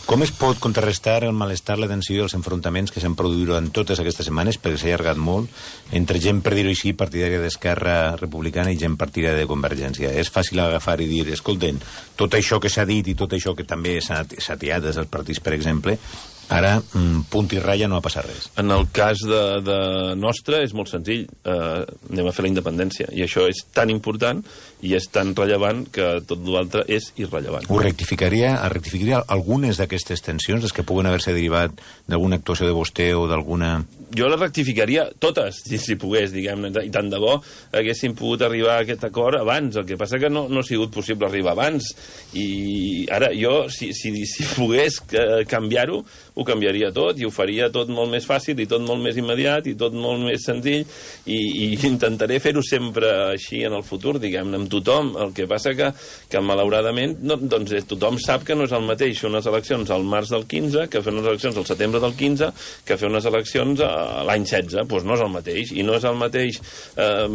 Com es pot contrarrestar el malestar, la tensió i els enfrontaments que s'han produït durant totes aquestes setmanes, perquè s'ha allargat molt, entre gent, per dir-ho així, partidària d'Esquerra Republicana i gent partidària de Convergència? És fàcil agafar i dir, escolten, tot això que s'ha dit i tot això que també s'ha atiat des dels partits, per exemple, ara, punt i ratlla, no ha passat res. En el cas de, de nostre és molt senzill. Eh, anem a fer la independència. I això és tan important i és tan rellevant que tot l'altre és irrellevant. Ho rectificaria, rectificaria algunes d'aquestes tensions, les que puguen haver-se derivat d'alguna actuació de vostè o d'alguna... Jo les rectificaria totes, si, si pogués, diguem-ne, i tant de bo haguéssim pogut arribar a aquest acord abans. El que passa que no, no ha sigut possible arribar abans. I ara jo, si, si, si pogués canviar-ho, ho canviaria tot i ho faria tot molt més fàcil i tot molt més immediat i tot molt més senzill, i, i intentaré fer-ho sempre així en el futur, diguem-ne, amb tothom. El que passa que, que malauradament, no, doncs tothom sap que no és el mateix fer unes eleccions al març del quinze que fer unes eleccions al setembre del quinze que fer unes eleccions a l'any setze. Doncs no és el mateix, i no és el mateix. Eh,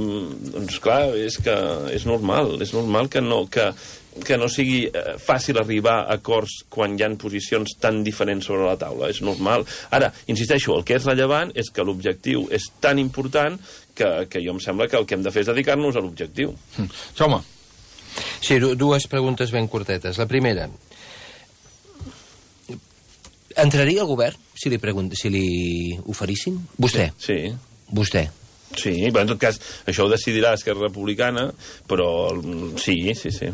doncs clar, és que és normal, és normal que no... que que no sigui eh, fàcil arribar a acords quan hi ha posicions tan diferents sobre la taula. És normal. Ara, insisteixo, el que és rellevant és que l'objectiu és tan important que, que jo em sembla que el que hem de fer és dedicar-nos a l'objectiu. Mm. Jaume. Sí, dues preguntes ben curtetes. La primera, entraria al govern si li, pregunt... si li oferissin? Vostè? Sí. Vostè? Sí, però en tot cas, això ho decidirà Esquerra Republicana, però sí, sí, sí.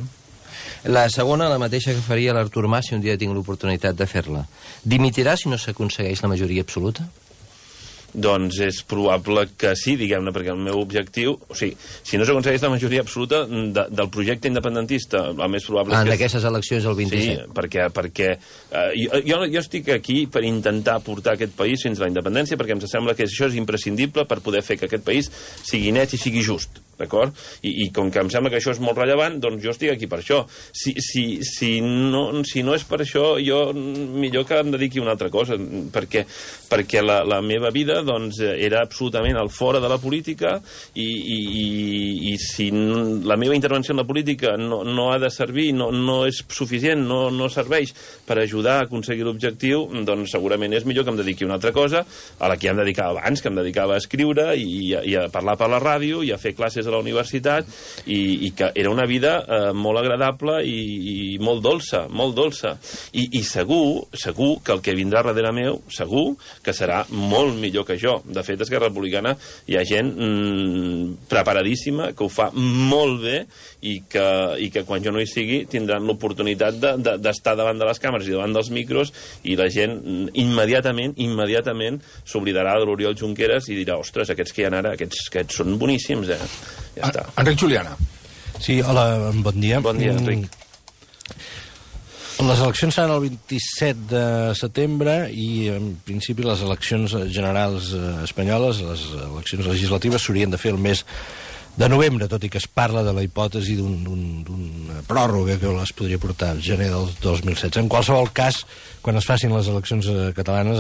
La segona, la mateixa que faria l'Artur Mas si un dia tinc l'oportunitat de fer-la. Dimitirà si no s'aconsegueix la majoria absoluta? Doncs és probable que sí, diguem-ne, perquè el meu objectiu... O sigui, si no s'aconsegueix la majoria absoluta de, del projecte independentista, el més probable... Ah, en és que... aquestes eleccions del vint-i-set. Sí, perquè... perquè uh, jo, jo, jo estic aquí per intentar portar aquest país fins a la independència, perquè em sembla que això és imprescindible per poder fer que aquest país sigui net i sigui just, d'acord? I, I com que em sembla que això és molt rellevant, doncs jo estic aquí per això. Si, si, si, no, si no és per això, jo millor que em dediqui a una altra cosa, perquè, perquè la, la meva vida doncs, era absolutament al fora de la política, i, i, i, i si la meva intervenció en la política no, no ha de servir, no, no és suficient, no, no serveix per ajudar a aconseguir l'objectiu, doncs segurament és millor que em dediqui a una altra cosa, a la que ja em dedicava abans, que em dedicava a escriure i, i a parlar per la ràdio i a fer classes a la universitat, i, i que era una vida eh, molt agradable i, i molt dolça, molt dolça. I, i segur, segur que el que vindrà darrere meu, segur que serà molt millor que jo. De fet, a Esquerra Republicana hi ha gent mmm, preparadíssima, que ho fa molt bé, i que, i que quan jo no hi sigui tindran l'oportunitat de, de, d'estar davant de les càmeres i davant dels micros, i la gent immediatament, immediatament s'oblidarà de l'Oriol Junqueras i dirà, ostres, aquests que hi ha ara, aquests, aquests són boníssims, eh? Ja està. Enric Juliana. Sí, hola, bon dia. Bon dia, Enric. Les eleccions seran el vint-i-set de setembre i, en principi, les eleccions generals espanyoles, les eleccions legislatives, s'haurien de fer el mes de novembre, tot i que es parla de la hipòtesi d'una pròrroga que es podria portar al gener del dos mil setze. En qualsevol cas, quan es facin les eleccions catalanes,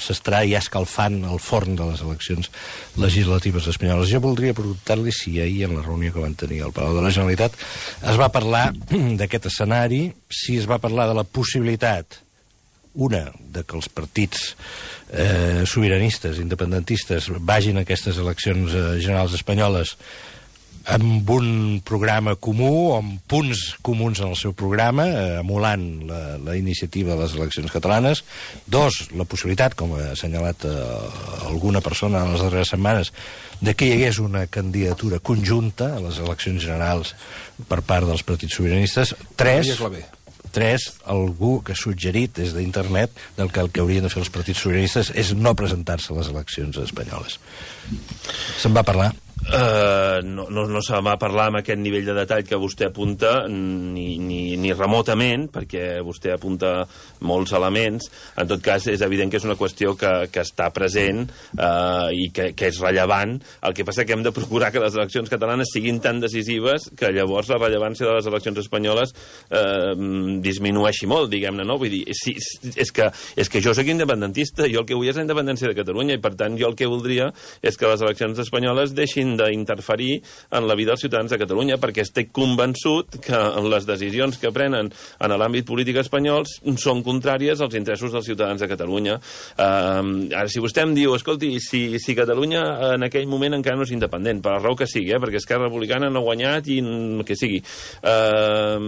s'estarà ja escalfant el forn de les eleccions legislatives espanyoles. Jo voldria preguntar-li si ahir, en la reunió que van tenir al Palau de la Generalitat, es va parlar d'aquest escenari, si es va parlar de la possibilitat, una, de que els partits eh, sobiranistes, independentistes, vagin a aquestes eleccions eh, generals espanyoles amb un programa comú, o amb punts comuns en el seu programa, eh, emulant la, la iniciativa de les eleccions catalanes. Dos, la possibilitat, com ha assenyalat eh, alguna persona en les darreres setmanes, de que hi hagués una candidatura conjunta a les eleccions generals per part dels partits sobiranistes. Tres, tres, algú que ha suggerit des d'internet del que el que haurien de fer els partits sobiranistes és no presentar-se a les eleccions espanyoles. Se'n va parlar? Uh, no, no, no se va parlar amb aquest nivell de detall que vostè apunta ni, ni, ni remotament, perquè vostè apunta molts elements. En tot cas, és evident que és una qüestió que, que està present uh, i que, que és rellevant. El que passa que hem de procurar que les eleccions catalanes siguin tan decisives que llavors la rellevància de les eleccions espanyoles uh, disminueixi molt, diguem-ne, no? Vull dir, sí, és, que, és que jo soc independentista, jo el que vull és la independència de Catalunya, i per tant jo el que voldria és que les eleccions espanyoles deixin d'interferir en la vida dels ciutadans de Catalunya, perquè estic convençut que les decisions que prenen en l'àmbit polític espanyol són contràries als interessos dels ciutadans de Catalunya. Uh, ara, si vostè em diu, escolti, si, si Catalunya en aquell moment encara no és independent, per la raó que sigui, eh, perquè Esquerra Republicana no ha guanyat i el que sigui, uh,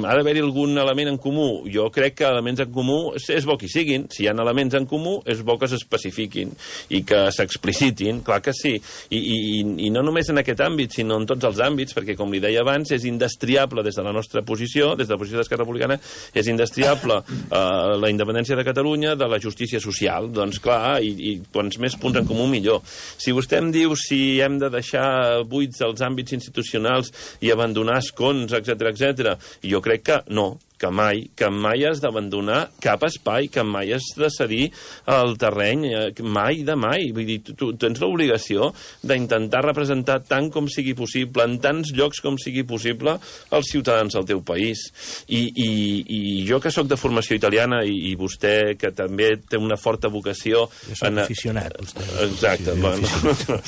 ha d'haver-hi algun element en comú. Jo crec que elements en comú és bo que hi siguin. Si hi ha elements en comú, és bo que s'especifiquin i que s'explicitin, clar que sí. I, i I, i no només en aquest àmbit, sinó en tots els àmbits, perquè, com li deia abans, és indestriable des de la nostra posició, des de la posició d'Esquerra Republicana, és indestriable eh, la independència de Catalunya de la justícia social. Doncs clar, i, i quants més punts en comú, millor. Si vostè em diu si hem de deixar buits els àmbits institucionals i abandonar escons, etcètera, etcètera, jo crec que no, que mai, que mai has d'abandonar cap espai, que mai has de cedir el terreny, mai de mai. Vull dir, tu, tu tens l'obligació d'intentar representar tant com sigui possible, en tants llocs com sigui possible, els ciutadans del teu país. I, i, i jo, que sóc de formació italiana, i, i vostè, que també té una forta vocació... Jo soc en... aficionat, vostè. Exacte. Sí, bueno.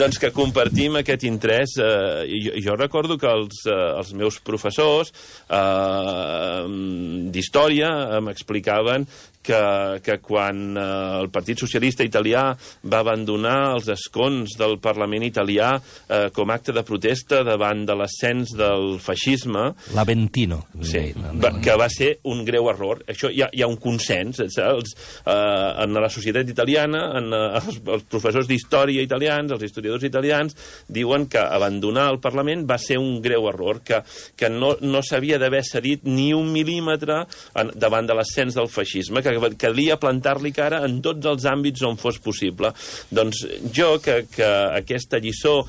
Doncs que compartim aquest interès. Eh, jo, jo recordo que els, eh, els meus professors... Eh, d'història m'explicaven que, que quan eh, el Partit Socialista Italià va abandonar els escons del Parlament italià eh, com acte de protesta davant de l'ascens del feixisme... L'Aventino. Sí, va, que va ser un greu error. Això hi ha, hi ha un consens. Els, eh, en la societat italiana, en, eh, els, els professors d'història italians, els historiadors italians, diuen que abandonar el Parlament va ser un greu error, que, que no, no s'havia d'haver cedit ni un mil·límetre en, davant de l'ascens del feixisme, que calia plantar-li cara en tots els àmbits on fos possible. Doncs jo, que, que aquesta lliçó,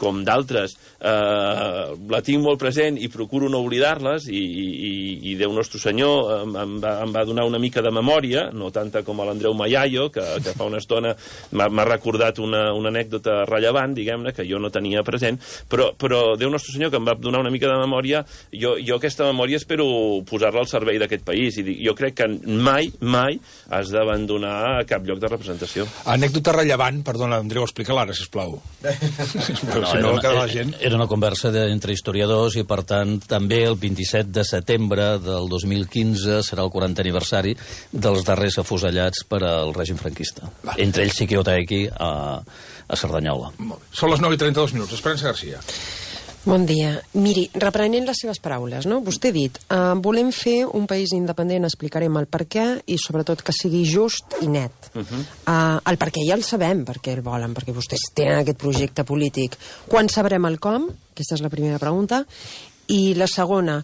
com d'altres, eh, la tinc molt present i procuro no oblidar-les, i, i, i Déu Nostre Senyor em, em, va, em va donar una mica de memòria, no tanta com a l'Andreu Mayayo, que, que fa una estona m'ha recordat una, una anècdota rellevant, diguem-ne, que jo no tenia present, però, però Déu Nostre Senyor, que em va donar una mica de memòria, jo, jo aquesta memòria espero posar-la al servei d'aquest país, i jo crec que mai, mai has d'abandonar cap lloc de representació. Anècdota rellevant, perdona, Andreu, explica-la ara, sisplau. No, si no, era, una, gent... era una conversa de, entre historiadors, i per tant també el vint-i-set de setembre del dos mil quinze serà el quarantè aniversari dels darrers afusellats per al règim franquista. Va. Entre ells Siquio Taegui a, a Cerdanyola. Són les nou i trenta-dos minuts. Esperança Garcia. Bon dia. Miri, reprenent les seves paraules, no? Vostè ha dit, uh, volem fer un país independent, explicarem el per què, i sobretot que sigui just i net. Uh -huh. uh, el per què ja el sabem, perquè el volen, perquè vostès tenen aquest projecte polític. Quan sabrem el com? Aquesta és la primera pregunta. I la segona,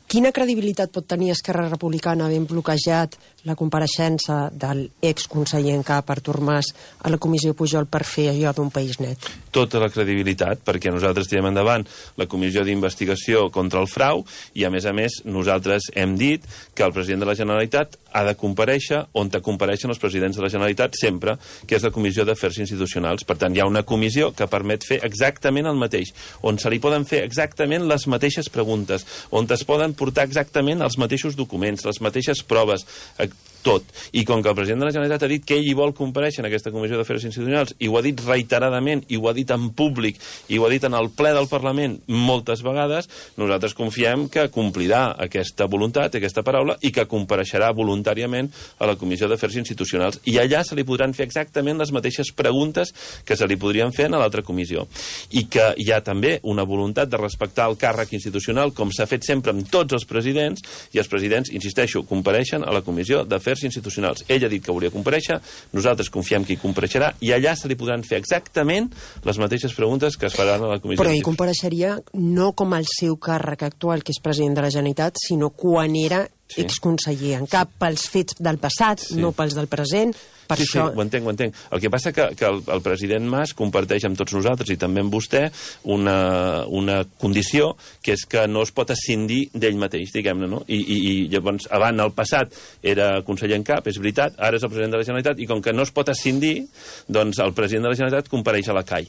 quina credibilitat pot tenir Esquerra Republicana havent bloquejat la compareixença de l'exconseller en cap, Artur Mas, a la comissió Pujol per fer allò d'un país net? tota la credibilitat, perquè nosaltres tirem endavant la comissió d'investigació contra el frau i, a més a més, nosaltres hem dit que el president de la Generalitat ha de comparèixer on te compareixen els presidents de la Generalitat sempre, que és la Comissió d'Afers Institucionals. Per tant, hi ha una comissió que permet fer exactament el mateix, on se li poden fer exactament les mateixes preguntes, on es poden portar exactament els mateixos documents, les mateixes proves, tot. I com que el president de la Generalitat ha dit que ell hi vol comparèixer en aquesta Comissió d'Afers Institucionals, i ho ha dit reiteradament, i ho ha dit en públic, i ho ha dit en el ple del Parlament moltes vegades, nosaltres confiem que complirà aquesta voluntat, aquesta paraula, i que compareixerà voluntàriament a la Comissió d'Afers Institucionals. I allà se li podran fer exactament les mateixes preguntes que se li podrien fer a l'altra comissió. I que hi ha també una voluntat de respectar el càrrec institucional, com s'ha fet sempre amb tots els presidents, i els presidents, insisteixo, compareixen a la Comissió d'Afers Institucionals. Ell ha dit que volia comparèixer, nosaltres confiem que hi compareixerà, i allà se li podran fer exactament les mateixes preguntes que es faran a la Comissió. Però ell compareixeria no com el seu càrrec actual, que és president de la Generalitat, sinó quan era sí. exconseller en cap, pels fets del passat, sí. no pels del present. Per sí, això... sí, ho entenc, ho entenc. El que passa que, que el, el president Mas comparteix amb tots nosaltres i també amb vostè una, una condició que és que no es pot escindir d'ell mateix, diguem-ne, no? I, i, i llavors, abans, al passat, era conseller en cap, és veritat, ara és el president de la Generalitat, i com que no es pot escindir, doncs el president de la Generalitat compareix a la C A I.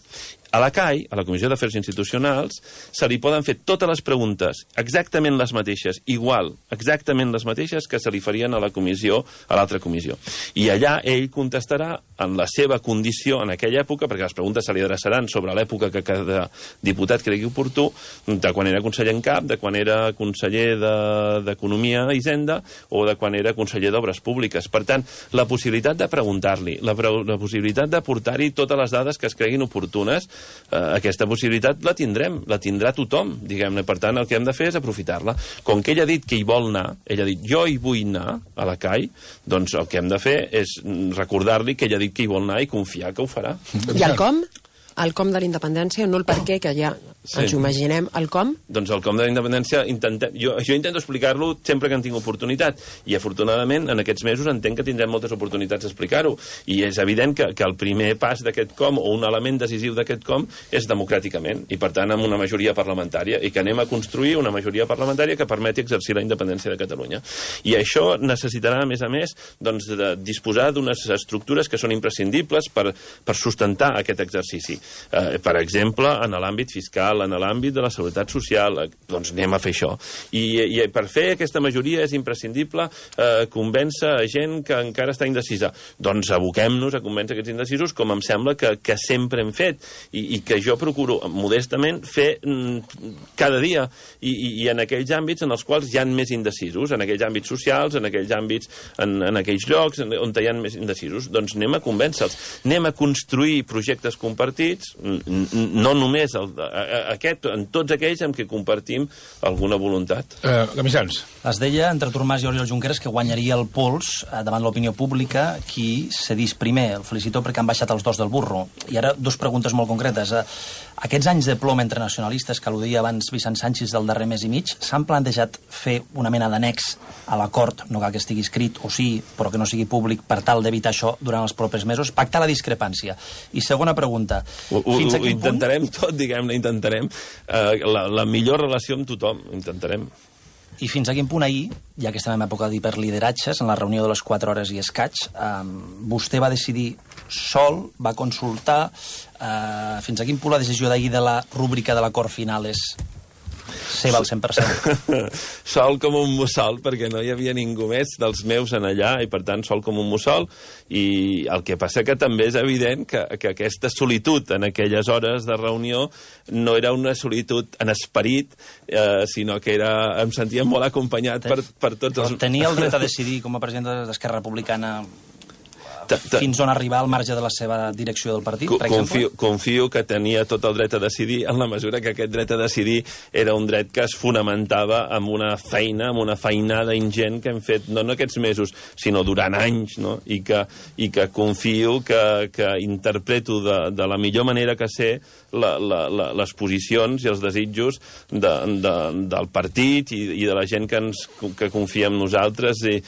A la C A I, a la Comissió d'Afers Institucionals, se li poden fer totes les preguntes, exactament les mateixes, igual, exactament les mateixes que se li farien a la comissió, a l'altra comissió. I allà ell contestarà en la seva condició en aquella època, perquè les preguntes se li adreçaran sobre l'època que cada diputat cregui oportú, de quan era conseller en cap, de quan era conseller d'Economia i Hisenda, o de quan era conseller d'Obres Públiques. Per tant, la possibilitat de preguntar-li, la, la possibilitat de portar-hi totes les dades que es creguin oportunes, eh, aquesta possibilitat la tindrem, la tindrà tothom, diguem-ne. Per tant, el que hem de fer és aprofitar-la. Com que ell ha dit que hi vol anar, ell ha dit jo hi vull anar a la C A I, doncs el que hem de fer és recordar-li que ell ha dit que hi vol anar i confiar que ho farà. I el com? El com de la independència, no el per què, que ja sí. ens ho imaginem. El com? Doncs el com de la independència, intentem, jo, jo intento explicar-lo sempre que en tinc oportunitat, i afortunadament en aquests mesos entenc que tindrem moltes oportunitats d'explicar-ho, i és evident que, que el primer pas d'aquest com, o un element decisiu d'aquest com, és democràticament, i per tant amb una majoria parlamentària, i que anem a construir una majoria parlamentària que permeti exercir la independència de Catalunya. I això necessitarà, a més a més, doncs, de disposar d'unes estructures que són imprescindibles per, per sustentar aquest exercici. Eh, per exemple, en l'àmbit fiscal, en l'àmbit de la seguretat social, eh, doncs anem a fer això. I, i per fer aquesta majoria és imprescindible eh, convèncer a gent que encara està indecisa. Doncs aboquem-nos a convèncer aquests indecisos, com em sembla que, que sempre hem fet, i, i que jo procuro modestament fer mm, cada dia, I, i, i en aquells àmbits en els quals hi ha més indecisos, en aquells àmbits socials, en aquells àmbits, en, en aquells llocs on hi ha més indecisos, doncs anem a convèncer-los, anem a construir projectes compartits, no només el, aquest, en tots aquells amb què compartim alguna voluntat. Uh, Gamisans. Es deia entre Artur Mas i Oriol Junqueras que guanyaria el pols eh, davant l'opinió pública qui cedís primer. El felicito perquè han baixat els dos del burro. I ara dos preguntes molt concretes. Eh, aquests anys de plom entre nacionalistes que al·ludia abans Vicent Sanchis del darrer mes i mig, s'han plantejat fer una mena d'annex a l'acord, no cal que estigui escrit, o sí, però que no sigui públic, per tal d'evitar això durant els propers mesos, pactar la discrepància. I segona pregunta, Ho, ho, ho intentarem punt... tot, diguem-ne, intentarem uh, la, la millor relació amb tothom, intentarem. I fins a quin punt ahir, ja que estem en època d'hiperlideratges, en la reunió de les quatre hores i escaig, eh, vostè va decidir sol, va consultar, eh, fins a quin punt la decisió d'ahir de la rúbrica de l'acord final és seva al cent per cent? Sol com un mussol, perquè no hi havia ningú més dels meus en allà, i per tant sol com un mussol, i el que passa que també és evident que, que aquesta solitud en aquelles hores de reunió no era una solitud en esperit, eh, sinó que era, em sentia molt acompanyat per, per tots els... Però tenia el dret a decidir com a president d'Esquerra Republicana fins on arribar al marge de la seva direcció del partit, per exemple? Confio, confio que tenia tot el dret a decidir, en la mesura que aquest dret a decidir era un dret que es fonamentava amb una feina, amb una feinada ingent que hem fet, no en aquests mesos, sinó durant anys, no? I que, i que confio que, que interpreto de, de la millor manera que sé la, la, la, les posicions i els desitjos de, de, del partit i, i de la gent que, ens, que confia en nosaltres, i,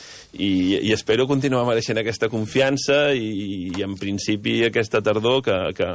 i, i espero continuar mereixent aquesta confiança, i, i en principi aquesta tardor que, que,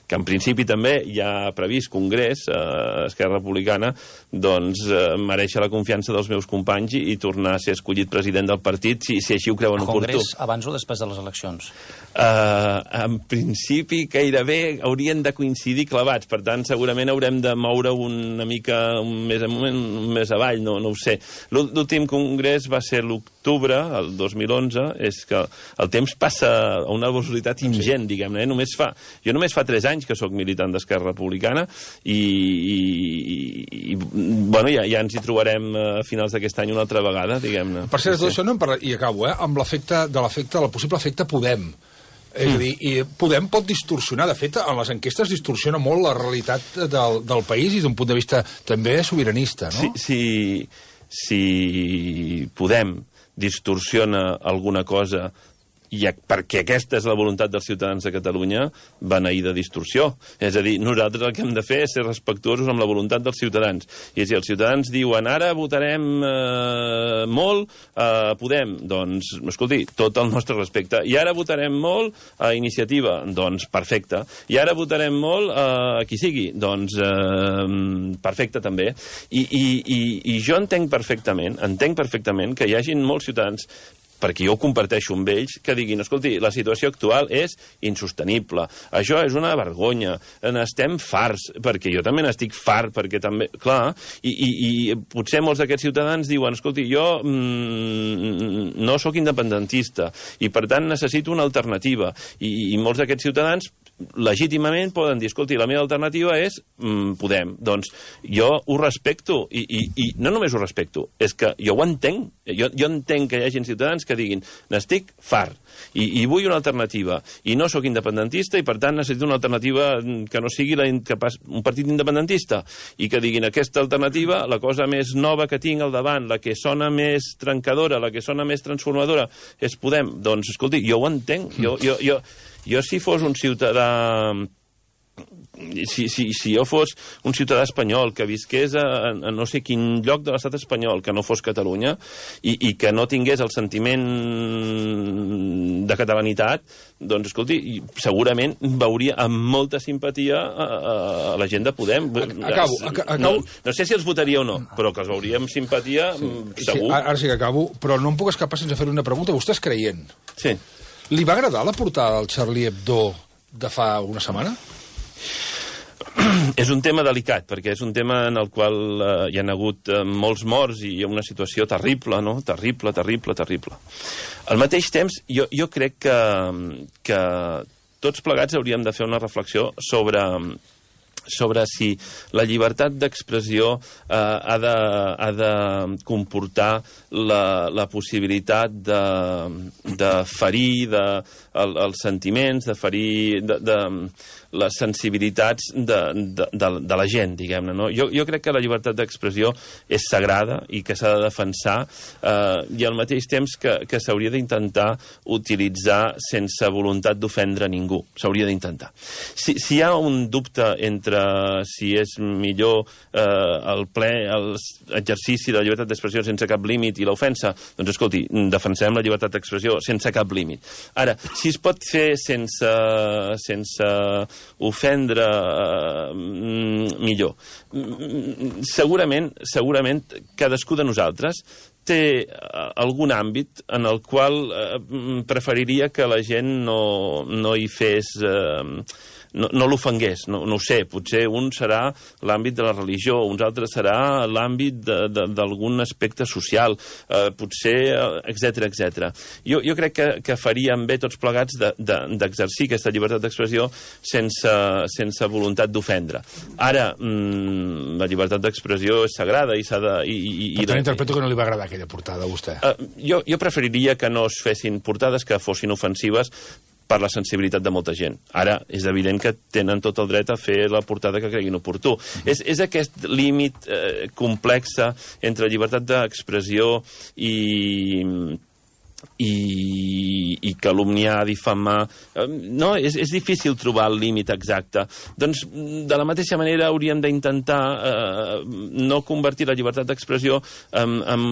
que en principi també hi ha previst Congrés, eh, Esquerra Republicana, doncs eh, mereixer la confiança dels meus companys i, i tornar a ser escollit president del partit, si, si així ho creuen oportú. Congrés abans o després de les eleccions? Uh, en principi, gairebé haurien de coincidir clavats, per tant, segurament haurem de moure una mica un més amunt, un més avall, no, no ho sé. L'últim congrés va ser l'octubre, el dos mil onze, és que el temps passa a una velocitat ingent, diguem-ne, eh? Només fa, jo només fa tres anys que sóc militant d'Esquerra Republicana i, i, i bueno, ja, ja ens hi trobarem a finals d'aquest any una altra vegada, diguem-ne. Per cert, tot això no em parla... I acabo, eh? Amb l'efecte de l'efecte, el possible efecte Podem. És a dir, i Podem pot distorsionar, de fet, en les enquestes distorsiona molt la realitat del, del país i d'un punt de vista també sobiranista, no? Si, si, si Podem distorsiona alguna cosa i perquè aquesta és la voluntat dels ciutadans de Catalunya, beneïda distorsió. És a dir, nosaltres el que hem de fer és ser respectuosos amb la voluntat dels ciutadans. I si els ciutadans diuen ara votarem eh, molt a eh, Podem, doncs, escolti, tot el nostre respecte. I ara votarem molt a Iniciativa, doncs perfecte. I ara votarem molt a qui sigui, doncs eh, perfecte també. I, i, i, i jo entenc perfectament, entenc perfectament que hi hagin molts ciutadans, perquè jo ho comparteixo amb ells, que diguin, escolti, la situació actual és insostenible, això és una vergonya, n'estem farts, perquè jo també n'estic fart, perquè també, clar, i, i, i potser molts d'aquests ciutadans diuen, escolti, jo mm, no sóc independentista, i per tant necessito una alternativa, i, i molts d'aquests ciutadans legítimament poden dir, escolti, la meva alternativa és mm, Podem. Doncs jo ho respecto, i, i, i no només ho respecto, és que jo ho entenc, jo, jo entenc que hi hagi ciutadans que diguin, n'estic fart, i, i vull una alternativa, i no sóc independentista, i per tant necessito una alternativa que no sigui la, que pas, un partit independentista, i que diguin, aquesta alternativa, la cosa més nova que tinc al davant, la que sona més trencadora, la que sona més transformadora, és Podem. Doncs, escolti, jo ho entenc, jo... jo, jo Jo, si fos un ciutadà... Si, si, si jo fos un ciutadà espanyol que visqués a, a no sé quin lloc de l'estat espanyol, que no fos Catalunya, i, i que no tingués el sentiment de catalanitat, doncs, escolti, segurament veuria amb molta simpatia a, a, a la gent de Podem. Acabo, acabo. No, no sé si els votaria o no, però que els veuria amb simpatia, sí, segur. Sí, ara sí que acabo, però no em puc escapar sense fer una pregunta. Vostè és creient? Sí. Li va agradar la portada del Charlie Hebdo de fa una setmana? És un tema delicat, perquè és un tema en el qual eh, hi ha hagut eh, molts morts i hi ha una situació terrible, no? Terrible, terrible, terrible. Al mateix temps, jo, jo crec que, que tots plegats hauríem de fer una reflexió sobre... sobre si la llibertat d'expressió eh, ha, de, ha de comportar la, la possibilitat de, de ferir de, el, els sentiments, de ferir de, de, les sensibilitats de, de, de, de la gent, diguem-ne. No? Jo, jo crec que la llibertat d'expressió és sagrada i que s'ha de defensar eh, i al mateix temps que, que s'hauria d'intentar utilitzar sense voluntat d'ofendre ningú. S'hauria d'intentar. Si, si hi ha un dubte entre si és millor eh, el ple, l'exercici de la llibertat d'expressió sense cap límit i l'ofensa, doncs escolti, defensem la llibertat d'expressió sense cap límit. Ara, si es pot fer sense, sense ofendre, eh, millor. Segurament, segurament cadascú de nosaltres té algun àmbit en el qual eh, preferiria que la gent no, no hi fes... Eh, no, no l'ofengués, no, no ho sé, potser un serà l'àmbit de la religió, uns altres serà l'àmbit d'algun aspecte social, eh, potser, etcètera, etcètera. Jo, jo crec que, que faríem bé tots plegats d'exercir de, de, aquesta llibertat d'expressió sense, sense voluntat d'ofendre. Ara, mmm, la llibertat d'expressió és sagrada i s'ha de... I, i, per tant, interpreto que no li va agradar aquella portada a vostè. Eh, jo, jo preferiria que no es fessin portades que fossin ofensives per la sensibilitat de molta gent. Ara, és evident que tenen tot el dret a fer la portada que creguin oportú. Mm-hmm. és, és aquest límit eh, complex entre llibertat d'expressió i... i, i calumniar, difamar... No, és, és difícil trobar el límit exacte. Doncs, de la mateixa manera, hauríem d'intentar eh, no convertir la llibertat d'expressió en, en,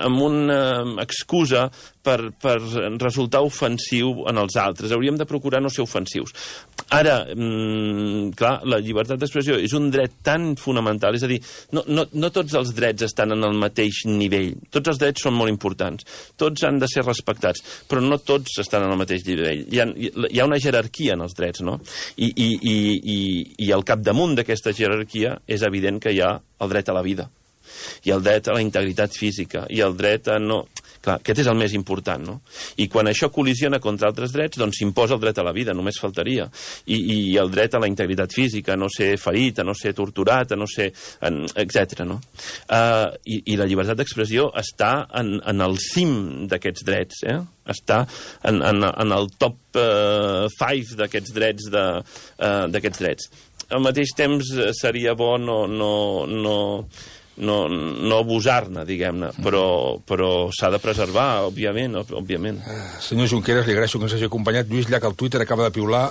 en una excusa per, per resultar ofensiu en els altres. Hauríem de procurar no ser ofensius. Ara, mmm, clar, la llibertat d'expressió és un dret tan fonamental, és a dir, no, no, no tots els drets estan en el mateix nivell. Tots els drets són molt importants. Tots han de ser respectats, però no tots estan en el mateix nivell. Hi ha, hi ha una jerarquia en els drets, no? I, i, i, i, i al capdamunt d'aquesta jerarquia és evident que hi ha el dret a la vida, i el dret a la integritat física, i el dret a no... Clar, aquest és el més important, no? I quan això col·lisiona contra altres drets, doncs s'imposa el dret a la vida, només faltaria. I, i el dret a la integritat física, a no ser ferit, a no ser torturat, a no ser... etcètera, no? Uh, i, I la llibertat d'expressió està en, en el cim d'aquests drets, eh? Està en, en, en el top uh, five d'aquests drets, de, uh, d'aquests drets. Al mateix temps seria bo no... no, no no, no abusar-ne, diguem-ne, però, però s'ha de preservar, òbviament, òbviament. Senyor Junqueras, li agraeixo que ens hagi acompanyat. Lluís Llach, al Twitter, acaba de piular.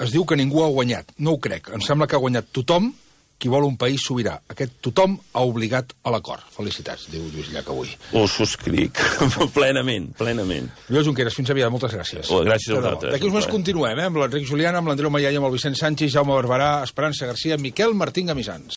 Es diu que ningú ha guanyat. No ho crec. Em sembla que ha guanyat tothom qui vol un país sobirà. Aquest tothom ha obligat a l'acord. Felicitats, diu Lluís Llach avui. Ho subscric, plenament, plenament. Lluís Junqueras, fins aviat, moltes gràcies. Oh, gràcies a vosaltres. D'aquí uns moments continuem, eh? Amb l'Enric Juliana, amb l'Andreu Maià i amb el Vicent Sanchis, Jaume Barberà, Esperança Garcia, Miquel Martín Gamisans.